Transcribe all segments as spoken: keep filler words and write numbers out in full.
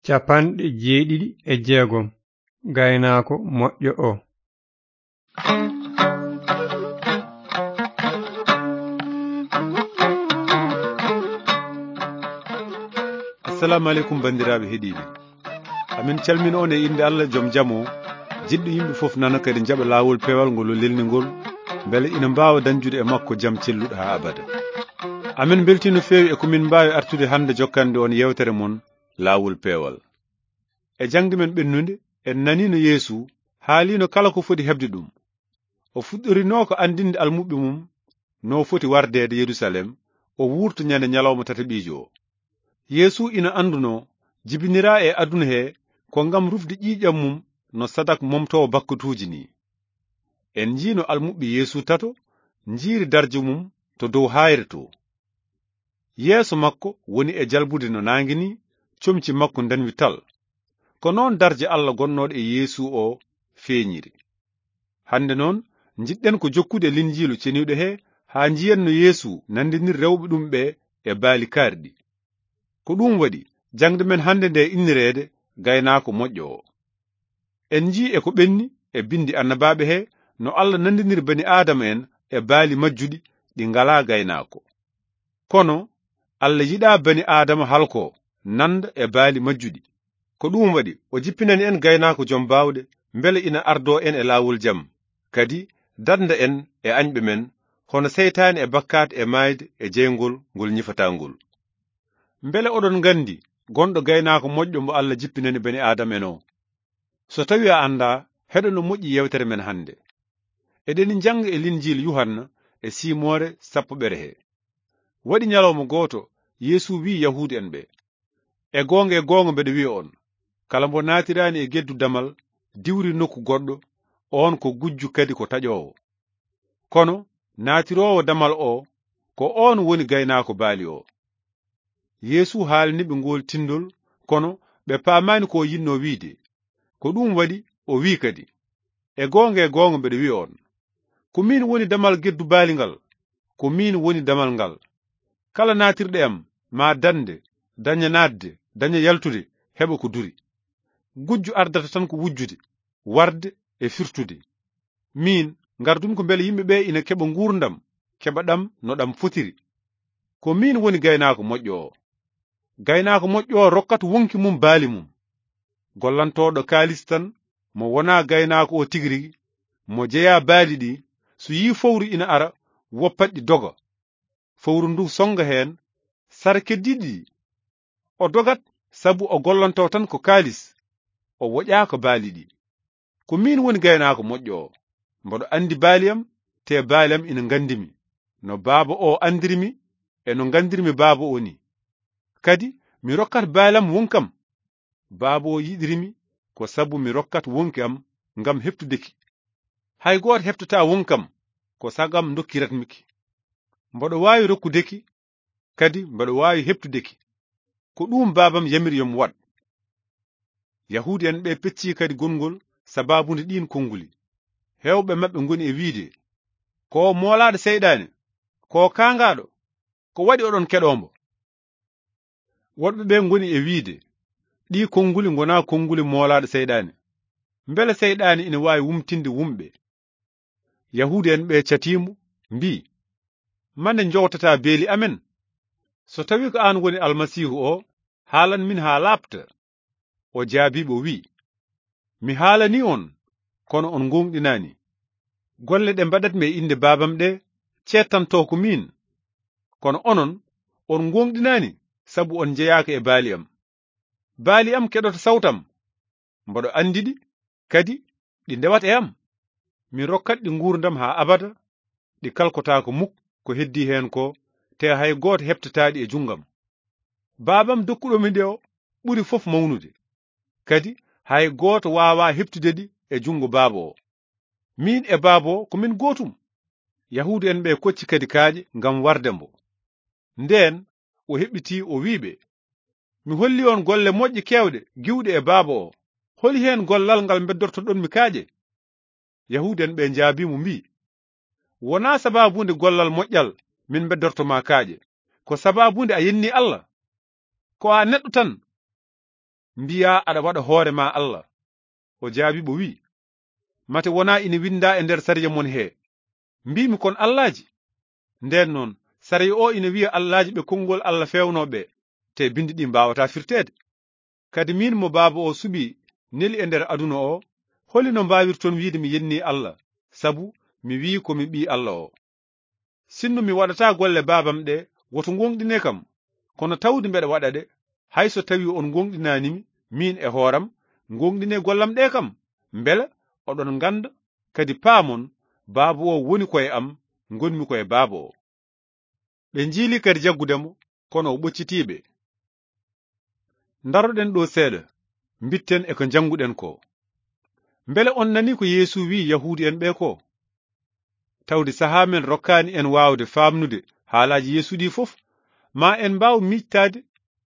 Capanɗe jeeɗiɗi e jeegom. Gaynaako moƴƴo o. Assalamu aleykum, banndiraaɓe heɗiiɓe. Amin calmina on e innde Allah, jom jam o, jiɗɗo yimɓe fof nana, kadi jaɓa laawol peewal ngol o lelni ngol, mbele ina mbaawa dañjude e makko jam celluɗo haa abada. Amin mbeltii no feewi e ko min mbaawi artude hannde jokkande on yeewtere mon, Laawol Peewal. E jaŋde men ɓennunde, en nanii no Yeesu haaliino kala ko foti heɓde ɗum. O fuɗɗorinoo ko anndinde almuɓɓe mum no foti wardeede Yerusalem, o wuurta ñande ñalawma tataɓiijo o. Yeesu ina anndunoo jibiniraa e aduna he ko ngam rufde ƴiiƴam mum no sadak momtoowo bakkatuuji nii. En njii no almuɓɓe Yeesu tato njiiri darje mum to dow haayre to. Yeeso makko woni e jalbude no naange nii, comci makko ndanwi tal. Ko noon darje Allah gonnooɗo e Yeesu o feeñiri. Hannde noon, njiɗɗen ko jokkude Linjiilu Ceniiɗo he haa njiyen no Yeesu nanndiniri rewɓe ɗum ɓe e baali kaarɗi. Ko ɗum waɗi jaŋde men hannde nde innireede Gaynaako Moƴƴo o. En njii e ko ɓenni e binndi annabaaɓe he no Allah nanndiniri bani Aadama en e baali majjuɗi ɗi ngalaa gaynaako. Kono Allah yiɗaa bani Aadama halkoo, nannda e baali majjuɗi. Ko ɗum waɗi o jippinani en Gaynaako Jom Baawɗe, mbele ina ardoo en e laawol jam, kadi dannda en e añɓe men, hono seytaane e bakkaat e maayde e jeyngol ngol ñifataa ngol. Mbele oɗon nganndi gonɗo Gaynaako Moƴƴo mo Allah jippinani bani Aadama en o? So tawii a anndaa, heɗo no moƴƴi yeewtere men hannde. Eɗeni njannga e Linjiil Yuhanna e siimoore sappoɓere he. Waɗi ñalawma gooto, Yeesu wi'i Yahuudu en ɓe, "E goonga, e goonga mbeɗa wi'a on, kala mbo naatiraani e geddu damal, diwri nokku goɗɗo, oon ko gujju kadi ko taƴoowo. Kono naatiroowo damal o, ko oon woni gaynaako baali o." Yeesu haalani ɓe ngool tinndol, kono ɓe paamaani ko o yiɗnoo wi'de. Ko ɗum waɗi o wi'i kadi, "E goonga, e goonga mbeɗa wi'a on, ko miin woni damal geddu baali ngal, ko miin woni damal ngal. Kala naatirɗo e am, maa dañde, daña naatde, daña yaltude, heɓa ko duri. Gujju ardata tan ko wujjude, warde e firtude. Miin, ngardumi ko mbele yimɓe ɓe ina keɓa nguurndam, keɓa ɗam no ɗam fotiri. Ko miin woni gaynaako moƴƴo o. Gaynaako moƴƴo o rokkat wonki mum baali mum. Gollantooɗo kaalis tan, mo wonaa gaynaako o tigi rigi, mo jeyaa baali ɗi, so yii fowru ina ara, woppat ɗi doga. Fowru ndu sonnga heen sara keddiiɗi ɗi. O dogat sabu o gollantoo tan ko kaalis, o woƴaaka baali ɗi. Ko miin woni gaynaako moƴƴo o. Mboɗo anndi baali am, te baali am ina nganndi mi, no Baaba o anndiri mi e no nganndir-mi Baaba o nii. Kadi mi rokkat baali am wonki am. Baaba o yiɗiri mi ko sabu mi rokkat wonki am ngam heɓtude ki. Hay gooto heɓtataa wonki am ko sago am ndokkirat-mi ki. Mboɗo waawi rokkude ki, kadi mboɗo waawi heɓtude ki. Ko ɗum Baaba am yamiri yo mi waɗ." Yahuudu en ɓe peccii kadi gonngol sabaabu nde ɗiin konnguli. Heewɓe maɓɓe ngoni e wi'de, "Ko o moolaaɗo seyɗaane, ko o kaangaaɗo, ko waɗi oɗon keɗoo mbo?" Woɗɓe ɓe ngoni e wi'de, "Ɗii konnguli ngonaa konnguli moolaaɗo seyɗaane. Mbele seyɗaane ina waawi wumtinde wumɓe?" Yahuudu en ɓe catii mo, mbii, "Mande njowtataa beeli amen? So tawii ko aan woni Almasiihu o, haalan min haa laaɓta." O jaabii ɓe, o wi'i, "Mi haalanii on, kono on ngoongɗinaani. Golle ɗe mbaɗat-mi e innde Baaba am ɗe, ceedtantoo ko miin. Kono onon, on ngoongɗinaani sabu on njeyaaka e baali am. Baali am keɗoto sawtu am. Mboɗo anndi ɗi, kadi ɗi ndewat e am. Mi rokkat ɗi nguurndam haa abada, ɗi kalkotaako muk ko heddii heen ko, te hay gooto heɓtataa ɗi e junngo am. Baaba am dokkuɗo mi ɗi o ɓuri fof mawnude, kadi hay gooto waawaa heɓtude ɗi e junngo Baaba o. Miin e Baaba o ko min gootum." Yahuudu en ɓe kocci kadi kaaƴe ngam warde mbo. Ndeen o heɓɓitii, o wi'i ɓe, "Mi holli on golle moƴƴe keewɗe giwɗe e Baaba o. Holi heen gollal ngal mbeddortoɗon mi kaaƴe?" Yahuudu en ɓe njaabii mo, mbii, "Wonaa sabaabu nde gollal moƴƴal min mbeddorto ma kaaƴe, ko sabaabu nde a yennii Allah. Ko a neɗɗo tan. mbiyaa aɗa waɗa hoore maa Allah?" O jaabii ɓe, wi'i, "Mate wonaa ina winndaa e nder sariya mon hee, mbiimi kon allaaji? Ndeen noon, sariya o ina wi'a allaaji ɓe konngol Allah feewnoo ɓe, te binndi ɗi mbaawataa firteede. Kadi miin mo Baaba o suɓii, neli e nder aduna o, holi no mbaawirton wiide mi yennii Allah, sabu mi wi'i ko mi ɓii Allah o? Sinno mi waɗataa golle Baabam ɗe, woto ngooŋɗine kam. Kono tawde mbeɗa waɗa ɗe, hay so tawii on ngooŋɗinaani mi, miin e hooram, ngooŋɗinee gollam ɗe kam, mbele oɗon ngannda, kadi paamon, Baaba o woni ko e am, ngonmi ko e Baaba o." Ɓe njiili kadi jaggude mo, kono o ɓoccitii ɓe. Ndaroɗen ɗo seeɗa, mbitten e ko njannguɗen ko. Mbele on nanii ko Yeesu wi'i Yahuudu'en ɓe ko? Tawde sahaa men rokkaani en waawde faamnude haalaaji Yeesu ɗi fof, ma en mbaaw miijtaade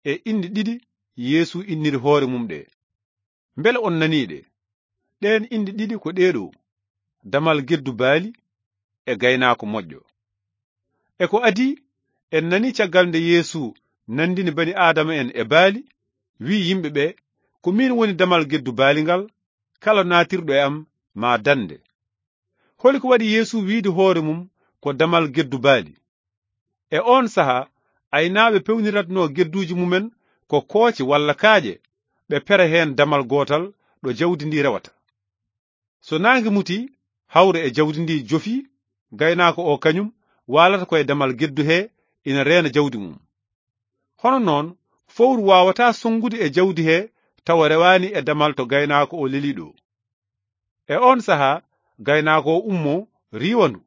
e inɗe ɗiɗi Yeesu inniri hoore mum ɗe. Mbele on nanii ɗe? Ɗeen inɗe ɗiɗi ko ɗee ɗo: damal geddu baali e gaynaako moƴƴo. E ko adii, en nanii caggal nde Yeesu nanndini bani Aadama en e baali, wi'i yimɓe ɓe, "Ko miin woni damal geddu baali ngal, kala naatirɗo e am maa dande." Holi ko waɗi Yeesu wiide hoore mum ko damal geddu baali? E oon sahaa, aynaaɓe pewniratnoo gedduuji mumen ko kooce walla kaaƴe, ɓe pera heen damal gootal ɗo jawdi ndi rewata. So naange mutii, hawre e jawdi ndi jofii, gaynaako o kañum waalata ko e damal geddu he, ina reena jawdi mum. Hono noon, fowru waawataa sonngude e jawdi he tawa rewaani e damal to gaynaako o lelii ɗo. E oon sahaa, gaynaako o ummoo, riiwa ndu.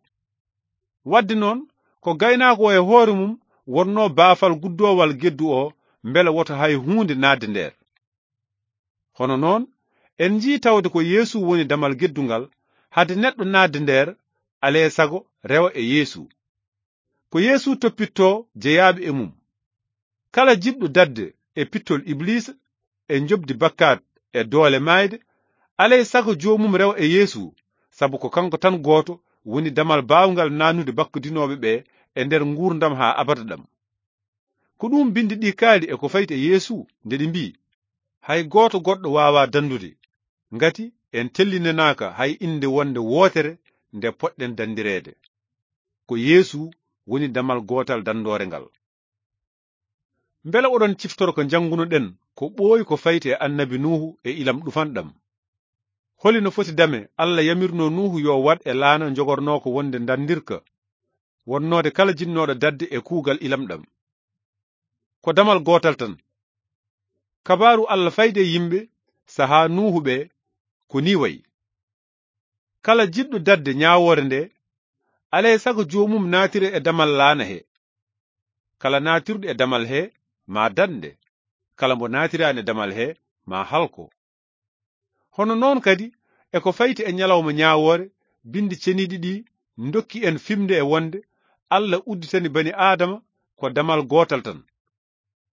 Waɗde noon, ko gaynaako o e hoore mum wonnoo baafal guddoowal geddu o, mbele woto hay huunde naatde nder. Hono noon, en njii tawde ko Yeesu woni damal geddu ngal, hade neɗɗo naatde nder, alee sago rewa e Yeesu. Ko Yeesu toppittoo jeyaaɓe e mum. Kala jiɗɗo daɗde e pittol Ibliisa, e njoɓdi bakkaat, e doole maayde, alee sago joomum rewa e Yeesu, sabu ko kanko tan gooto woni damal baawngal naatnude bakkodinooɓe ɓe e nder nguurndam haa abada ɗam. Ko ɗum binndi ɗi kaali e ko fayti e Yeesu nde ɗi mbii, "Hay gooto goɗɗo waawaa danndude, ngati en tellinanaaka hay innde wonde wootere nde poɗɗen danndireede." Ko Yeesu woni damal gootal danndoore ngal. Mbele oɗon ciftoro ko njanngunoɗen ko ɓooyi ko fayti e annabi Nuuhu e ilam ɗufanɗam? Holi no foti dame Allah yamirnoo Nuuhu yo waɗ e laana njogornoo ko wonde ndarndirka, wonnoode kala jinnooɗo daɗde e kuugal ilam ɗam? Ko damal gootal tan. Kabaaru Allah fayde e yimɓe sahaa Nuuhu ɓe ko nii wayi. Kala jiɗɗo daɗde ñaawoore nde, alay sago joomum naatira e damal laana he. Kala naatirɗo e damal he, maa daɗnde. Kala mbo naatiraani e damal he, maa halko. Hono noon kadi, e ko fayti e ñalawma ñaawoore, binndi ceniiɗi ɗi ndokki en fimde e wonde Allah udditani bani Aadama ko damal gootal tan.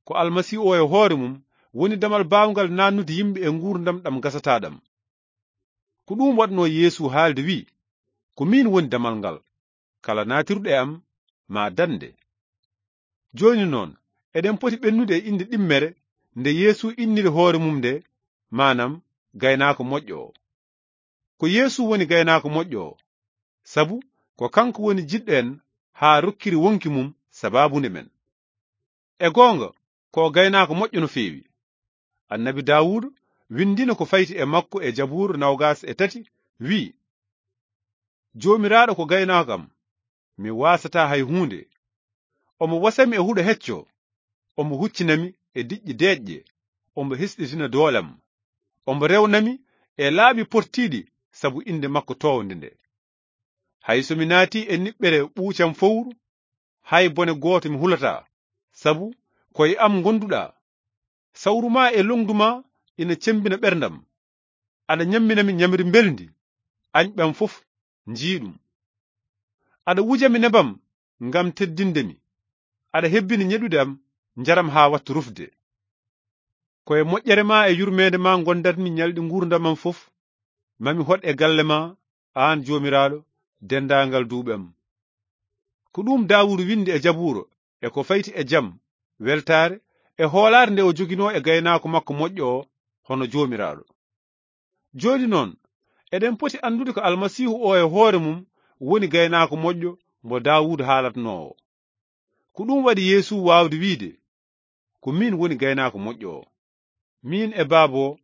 Ko Almasiihu o e hoore mum woni damal baawngal naatnude yimɓe e nguurndam ɗam gasataa ɗam. Ko ɗum waɗnoo Yeesu haalde, wi'i, "Ko miin woni damal ngal. Kala naatirɗo e am maa daɗnde." Jooni noon, eɗen poti ɓennude e innde ɗimmere nde Yeesu inniri hoore mum nde, maanam gaynaako moƴƴo o. Ko Yeesu woni gaynaako moƴƴo o, sabu ko kanko woni jiɗɗo en haa rokkiri wonki mum sabaabu nde men. E goonga, ko o gaynaako moƴƴo no feewi. Annabi Daawuuda winndino ko fayti e makko e Jabuura noogaas e tati, wi'i, "Joomiraaɗo ko gaynaako am, mi waasataa hay huunde. Omo wasami e huɗo hecco, omo huccinami e diƴƴe deeƴƴe, omo hesɗitina doolam. Omo rewnami e laabi pottiiɗi sabu innde makko toownde nde. Hay so mi naati e niɓɓere ɓuucam fowru, hay bone gooto mi hulataa, sabu ko e am ngonduɗaa. Sawru maa e longdu maa ina cemmbina ɓerndam. Aɗa ñammina mi ñamri mbelndi, añɓam fof njii ɗum. Aɗa wuja mi nebam ngam teddinde mi. Aɗa hebbini ñeɗude am njaram haa watta rufde. Ko e moƴƴere maa e yurmeende maa ngondatmi ñalɗi nguurndam am fof. Mami hoɗ e galle maa, aan Joomiraaɗo, denndaangal duuɓi am." Ko ɗum Daawuda winndi e Jabuura e ko fayti e jam, weltaare, e hoolaare nde o joginoo e gaynaako makko moƴƴo o, hono Joomiraaɗo. Jooni noon, eɗen poti anndude ko Almasiihu o e hoore mum woni gaynaako moƴƴo mo Daawuda haalatnoo o. Ko ɗum waɗi Yeesu waawde wiyde, "Ko miin woni gaynaako moƴƴo o. Miin e Baaba o,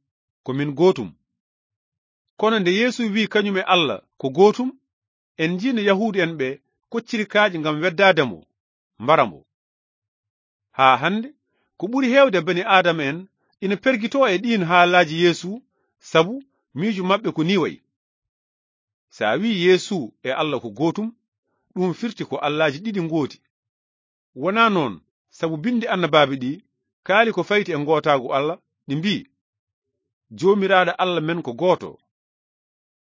ko min gootum." Kono nde Yeesu wiyi kañum e Alla ko gootum, en njii no Yahuudu en ɓe kocciri kaaƴe ngam weddaade mo, mbara mo. Haa hannde, ko ɓuri heewde bani Aadama en ina pergitoo e ɗiin haalaaji Yeesu, sabu miijo maɓɓe ko nii wayi. So a wiyi Yeesu e Alla ko gootum, ɗum firti ko allaaji ɗiɗi ngooti. Wonaa noon, sabu binndi annabaaɓe ɗi kaali ko fayti e ngootaagu Alla, ɗi mbii, "Joomiraaɗo Alla men ko gooto."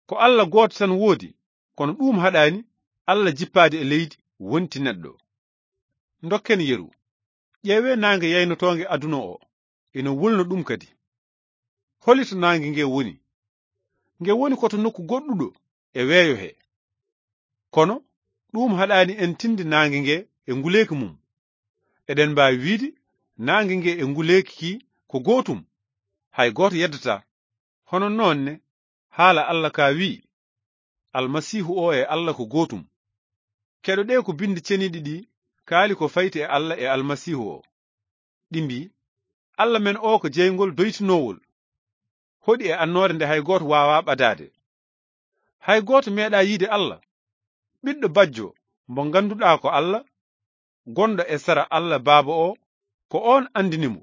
Ko Alla gooto tan woodi, kono ɗum haɗaani Alla jippaade e leydi, wonti neɗɗo. Ndokken yeru. Ƴeewee naange yaynotoonge aduna o, ina wulna ɗum kadi. Holi to naange nge woni? Nge woni ko to nokku goɗɗuɗo e weeyo he. Kono ɗum haɗaani en tinde naange nge e nguleeki mum. Eɗen mbaawi wiide naange nge e nguleeki ki ko gootum, hay gooto yeddataa. Hono noon ne, haala Alla ka wiyi, "Almasiihu o e Alla ko gootum." Keɗoɗee ko binndi ceniiɗi ɗi kaali ko fayti e Alla e Almasiihu o. Ɗi mbii, "Alla men o ko jeyngol doytinoowol, hoɗi e annoore nde hay gooto waawaa ɓadaade. Hay gooto meeɗaa yiide Alla. Ɓiɗɗo bajjo mo ngannduɗaa ko Alla, gonɗo e sara Alla Baaba o, ko oon anndini mo.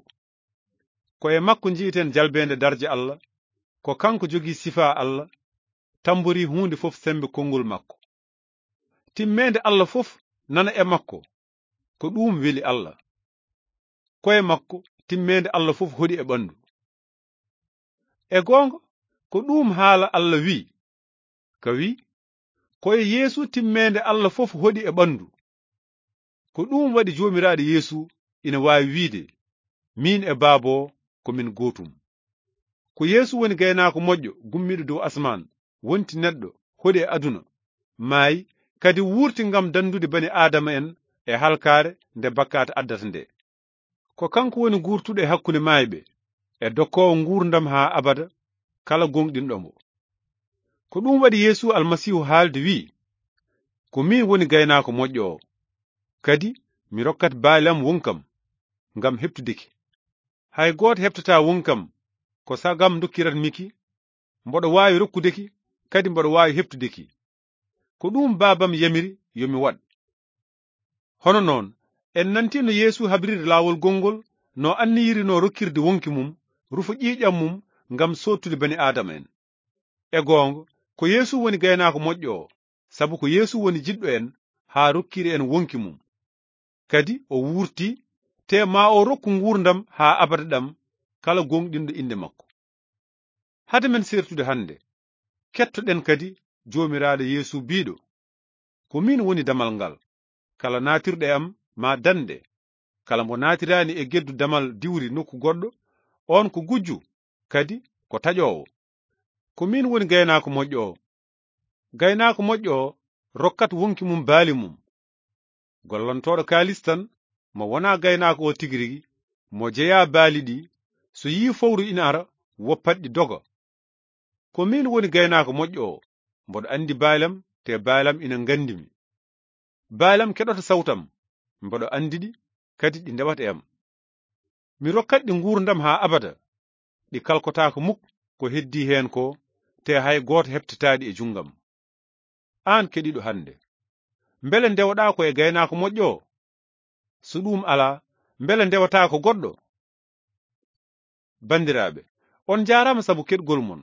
Ko e makko njiyeten jalbeende darja Alla, ko kanko jogii sifaa Alla, tamborii huunde fof semmbe konngol makko. Timmeende Alla fof nana e makko, ko ɗum weli Alla. Ko e makko timmeende Alla fof hoɗi e ɓanndu." E goonga, ko ɗum haala Alla wi, ka wi, "Ko e Yeesu timmeende Alla fof hoɗi e ɓanndu." Ko ɗum waɗi Joomiraaɗo Yeesu ina waawi wiide, "Miin e Baaba o ko min gootum." Ko Yeesu woni gaynaako moƴƴo gummiiɗo dow asmaan, wonti neɗɗo, hoɗi e aduna, maayi, kadi wuurti ngam danndude bani Aadama en e halkaare nde bakkaat addata nde. Ko kanko woni guurtuɗo e hakkunde maayɓe, e dokkoowo nguurndam haa abada kala gooŋɗinɗo mo. Ko ɗum waɗi Yeesu Almasiihu haalde wi'i, "Ko miin woni gaynaako moƴƴo o, kadi mi rokkat baali am wonkam ngam heɓtude ki. Hay gooto heɓtataa wonkam ko sagam ndokkirat mi ki, mboɗo waawi rokkude ki, kadi mboɗo waawi heɓtude ki. Ko ɗum Baabam yamiri yo mi waɗ." Hono noon, en nantii no Yeesu habriri laawol gongol, no anniyiri no rokkirde wonki mum, rufo ƴiiƴam mum ngam soottude bani Aadama en. E goonga, ko Yeesu woni gaynaako moƴƴo o, sabu ko Yeesu woni jiɗɗo en haa rokkiri en wonki mum. Kadi o wuurti, te ma o rokku nguurndam haa abada ɗam kala gooŋɗinɗo innde makko. Hade men sertude hannde, kettoɗen kadi Joomiraaɗo Yeesu biiɗo, "Ko miin woni damal ngal. Kala naatirɗo e am ma dande. Kala mo naatiraani e geddu damal diwri nokku goɗɗo, on ko gujjo, kadi ko taƴoowo. Ko miin woni gaynaako moƴƴo o. Gaynaako moƴƴo o rokkat wonki mum baali mum. Gollantooɗo kaalis tan, mo wonaa gaynaako o tigi rigi, mo jeyaa baali ɗi, so yii fowru ina ara, woppat ɗi doga. Ko miin woni gaynaako moƴƴo o, mboɗo anndi baalam, te baalam ina nganndi mi. Baalam keɗoto sawtam, mboɗo anndi ɗi, kadi ɗi ndewat e am. Mi rokkat ɗi nguurndam haa abada, ɗi kalkotaako muk ko heddii heen ko, te hay gooto heɓtataa ɗi e junngam." Aan keɗiiɗo hannde, mbele ndewoɗaa ko e gaynaako moƴƴo o? So ɗum alaa, mbele ndewataa ko goɗɗo? Banndiraaɓe, on njaaraama sabu keɗgol mon.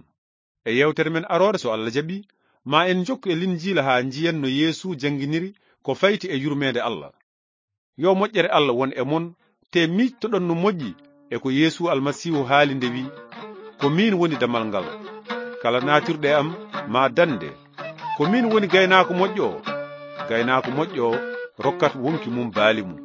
E yeewtere men aroore, so Allah jaɓi, ma en njokku e Linjiila haa njiyen no Yeesu jannginiri ko fayti e yurmeende Allah. Yo moƴƴere Allah won e mon, te miijtoɗon no moƴƴi e ko Yeesu Almasiihu haali nde wi'i, "Ko miin woni damal ngal. Kala naatirɗo e am ma dande. Ko miin woni gaynaako moƴƴo o. Gaynaako moƴƴo o rokkat wonki mum baali mum."